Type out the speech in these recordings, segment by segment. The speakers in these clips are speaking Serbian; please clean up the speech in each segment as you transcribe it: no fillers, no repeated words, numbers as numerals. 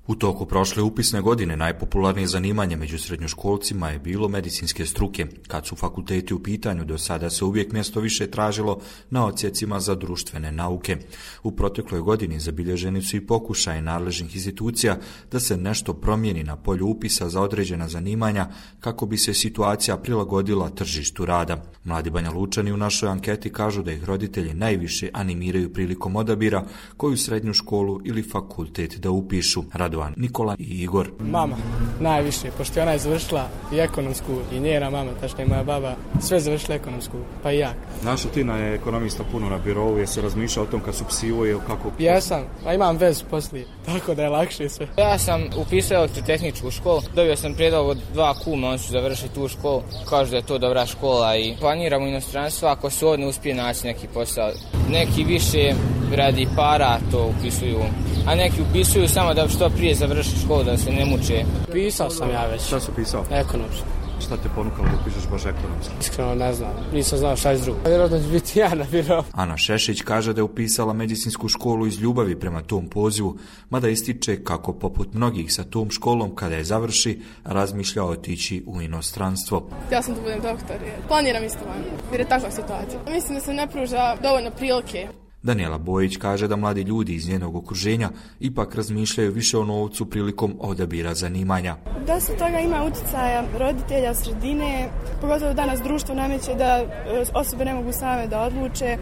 U toku prošle upisne godine najpopularnije zanimanje među srednjoškolcima je bilo medicinske struke. Kad su fakulteti u pitanju, do sada se uvijek mjesto više tražilo na odsjecima za društvene nauke. U protekloj godini zabilježeni su i pokušaje nadležnih institucija da se nešto promijeni na polju upisa za određena zanimanja kako bi se situacija prilagodila tržištu rada. Mladi Banjalučani u našoj anketi kažu da ih roditelji najviše animiraju prilikom odabira koju srednju školu ili fakultet da upišu. Radovan, Nikola i Igor. Mama, najviše, pošto ona je završila i ekonomsku, i njena mama, tačnije moja baba, sve završila ekonomsku, pa i ja. Naša Tina je ekonomista puno na birovu, je se razmišljao o tom kad su psivo i kako... Jesam, a imam vezu poslije, tako da je lakše sve. Ja sam upisao elektrotehničku školu, dobio sam prijedlog od 2 kuma, on su završili tu školu, kažu da je to dobra škola i planiram u inostranstvo ako se ovdje uspije naći neki posao. Neki više radi para to upisuju, a neki upisuju samo da što prije završi školu, da se ne muče. Pisao sam ja već. Šta si pisao? Ekonomsku. Šta te ponukalo da upišeš baš ekonomski? Iskreno ne znam, nisam znao šta je drugo. Vjerojatno će biti ja na biro. Ana Šešić kaže da je upisala medicinsku školu iz ljubavi prema tom pozivu, mada ističe kako poput mnogih sa tom školom kada je završi, razmišlja otići u inostranstvo. Ja sam da budem doktor, planiram isto van, jer je takva situacija. Mislim da se ne pruža dovoljno prilike. Daniela Bojić kaže da mladi ljudi iz njenog okruženja ipak razmišljaju više o novcu prilikom odabira zanimanja. Dosta toga ima utjecaja roditelja, sredine, pogotovo danas društvo nameće da osobe ne mogu same da odluče,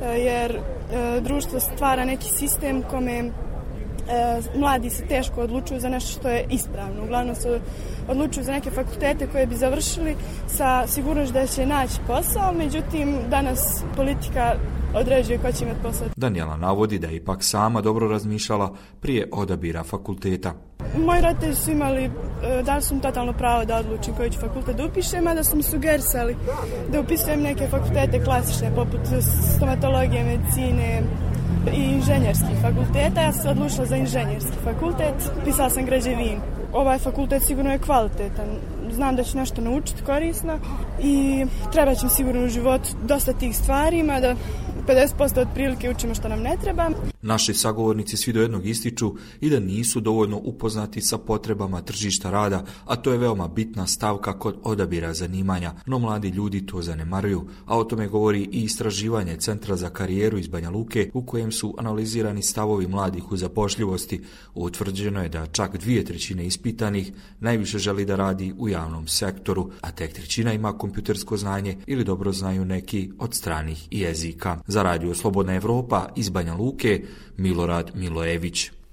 jer društvo stvara neki sistem kome mladi se teško odlučuju za nešto što je ispravno. Uglavnom se odlučuju za neke fakultete koje bi završili sa sigurnošću da će naći posao, međutim danas politika određuje ko će imati posao. Daniela navodi da je ipak sama dobro razmišljala prije odabira fakulteta. Moji roditelji su imali, dali su mi totalno pravo da odlučim koji ću fakultet da upišem, mada su mi sugerisali da upisujem neke fakultete klasične poput stomatologije, medicine i inženjerskih fakulteta. Ja sam se odlučila za inženjerski fakultet, pisala sam građevinu. Ovaj fakultet sigurno je kvalitetan. Znam da ću nešto naučiti korisno i treba će mi sigurno u životu dosta tih stvari, mada 50% otprilike učimo što nam ne treba. Naši sagovornici svi do jednog ističu i da nisu dovoljno upoznati sa potrebama tržišta rada, a to je veoma bitna stavka kod odabira zanimanja, no mladi ljudi to zanemaruju, a o tome govori i istraživanje Centra za karijeru iz Banja Luke u kojem su analizirani stavovi mladih u zapošljivosti. Utvrđeno je da čak 2/3 ispitanih najviše želi da radi u javnom sektoru, a tek 1/3 ima kompjutersko znanje ili dobro znaju neki od stranih jezika. Za Radio Slobodna Evropa iz Banja Luke, Milorad Milojević.